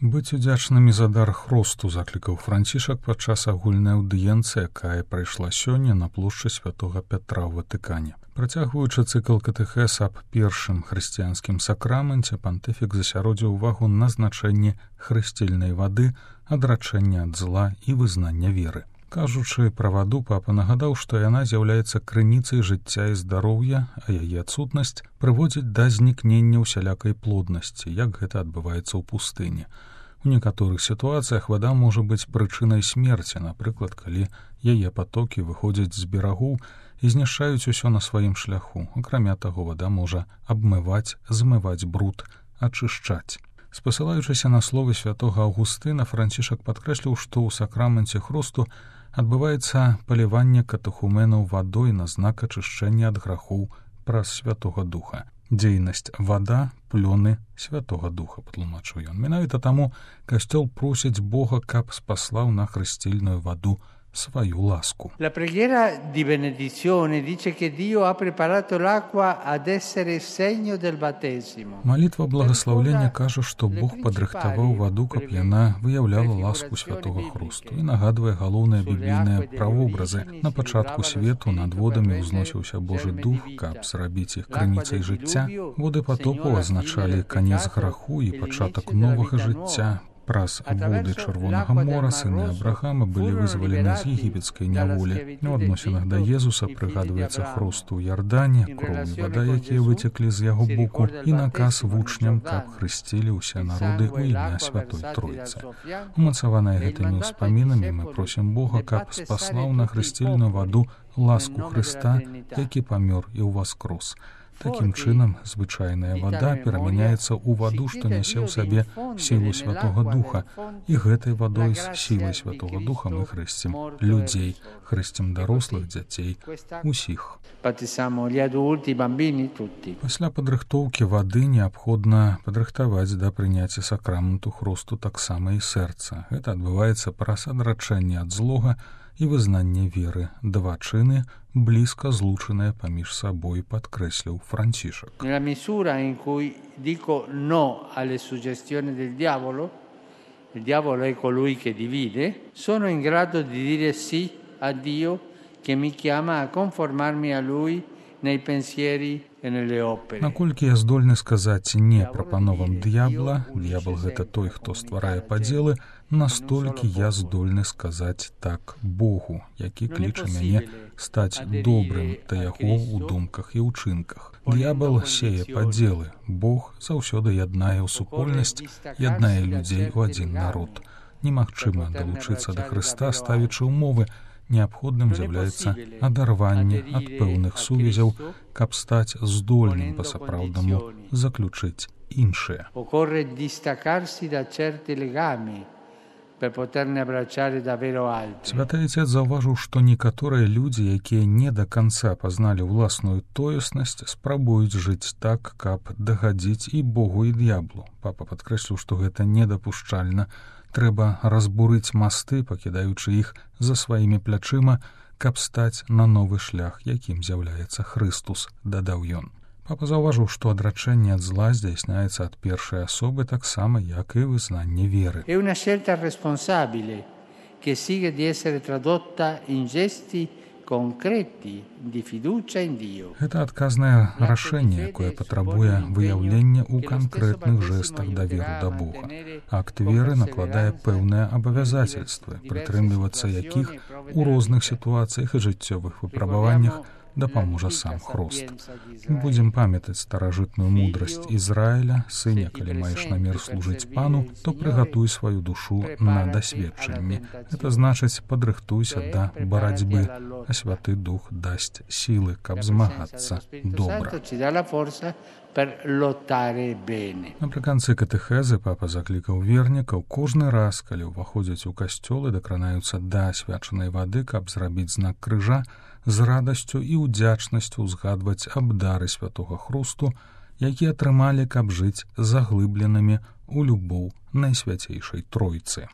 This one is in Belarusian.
Быць удзячнымі за дар хросту заклікаў Францішак падчас агульнай аўдыенцыі, якая прайшла сёння на плошчы святога Пятра ў Ватыкане. Працягваючы цыкл катэхез аб першым хрысціянскім сакраменце, пантыфік засяродзіў увагу на значэнні хрысцільнай вады, адрачэння ад зла і вызнання веры. Кажучы пра ваду, папа нагадаў, што яна з'яўляецца крыніцай жыцця і здароўя, а яе адсутнасць прыводзіць да знікнення ўсялякай плоднасці, як гэта адбываецца ў пустыні. У некаторых сітуацыях вада можа быць прычынай смерці, напрыклад, калі яе патокі выходзяць з берагоў і знішчаюць усё на сваім шляху. Акрамя таго, вада можа абмываць, змываць бруд, ачышчаць. Спасылаючыся на словы святога Аўгустына, Францішак падкрэсліў, што ў сакраменце хросту адбываецца паліванне катэхуменаў вадой на знак ачышчэння ад грахоў праз Святога Духа. Дзейнасць вада, плёны Святога Духа, патлумачыў ён. Менавіта таму касцёл просіць Бога, каб спаслаў на хрысцільную ваду свою ласку. La preghiera di benedizione dice che Dio ha preparato l'acqua ad essere segno del battesimo. Малітва благаслаўлення кажа, што Бог падрыхтаваў ваду, каб яна выяўляла ласку святога хрусту і нагадвае галоўныя біблійныя правобразы. На пачатку свету над водамі ўзносіўся Божы дух, каб зрабіць іх крыніцай жыцця. Воды патопу азначалі канец граху і пачатак новага жыцця. Праз воды Чырвонага мора сыны Абрахама былі вызвалены з егіпецкай няволі. У адносінах да Езуса прыгадваецца хрост у Ярдане, кроў і вада, якія выцеклі з яго боку, і наказ вучням, каб хрысцілі ўсе народы ў імя Святой Тройцы. Умацаваныя гэтымі ўспамінамі мы просім Бога, каб спаслаў на хрысцільную ваду ласку Хрыста, які памёр і ўваскрос. Такім чынам, звычайная вада перамяняецца ў ваду, што нясе ў сабе сілу Святога Духа, і гэтай вадой з сілай Святога Духа мы хрысцім людзей, хрысцім дарослых, дзяцей, усіх. Пасля падрыхтоўкі вады неабходна падрыхтаваць да прыняцця сакраменту хросту таксама і сэрца. Гэта адбываецца праз адрачэнне ад злога і вызнанне веры. Два чыны блізка злучаныя паміж сабой, падкрэсліў Францішак. Nella misura in cui dico no alle suggestioni del diavolo, il diavolo è colui che divide, sono in grado di dire sì a Dio che mi chiama a conformarmi a Lui nei pensieri e nelle opere. Наколькі я здольны сказаць не прапановам д'ябла, д'ябл гэта той, хто стварае падзелы, настолькі я здольны сказаць так Богу, які кліча мяне стаць добрым да яго ў думках і ўчынках. Д'ябл сее падзелы, Бог заўсёды яднае ў супольнасць, яднае людзей у адзін народ. Немагчыма далучыцца да Хрыста, ставячы ўмовы. Неабходным з'яўляецца адарванне ад пэўных сувязяў, каб стаць здольным па-сапраўднаму заключыць іншае. Occorre distaccarsi da certi legami per poterne abbracciare davvero altri. Святы Отец заўважыў, што некаторыя людзі, якія не да канца пазналі ўласную тоеснасць, спрабуюць жыць так, каб дагадзіць і Богу, і д'яблу. Папа падкрэсліў, што гэта недапушчальна. Трэба разбурыць масты, пакідаючы іх за сваімі плячыма, каб стаць на новы шлях, якім з'яўляецца Хрыстус, дадаў ён. Папа заўважыў, што адрачэнне ад зла здзяйсняецца ад першай асобы таксама, як і вызнанне веры. È una scelta responsabile che sigue di essere tradotta in gesti concreti di fiducia in Dio. Гэта адказнае рашэнне, якое патрабуе выяўлення ў канкрэтных жэстах даверу да Бога. Акт веры накладае пэўныя абавязацельствы, прытрымлівацца якіх у розных сітуацыях і жыццёвых выпрабаваннях дапаможа сам хрост. Будзем памятаць старажытную мудрасць Ізраіля: сыне, калі маеш намер служыць пану, то прыгатуй сваю душу на дасведчанне. Гэта значыць, падрыхтуйся да барацьбы, а Святы Дух дасць сілы, каб змагацца добра. Напрыканцы катэхезы папа заклікаў вернікаў кожны раз, калі ўваходзяць у касцёл і дакранаюцца да асвячанай вады, каб зрабіць знак крыжа, з радасцю і ўдзячнасцю ўзгадваць аб дары святога хрусту, які атрымалі, каб жыць заглыбленымі ў любоў Найсвяцейшай Тройцы.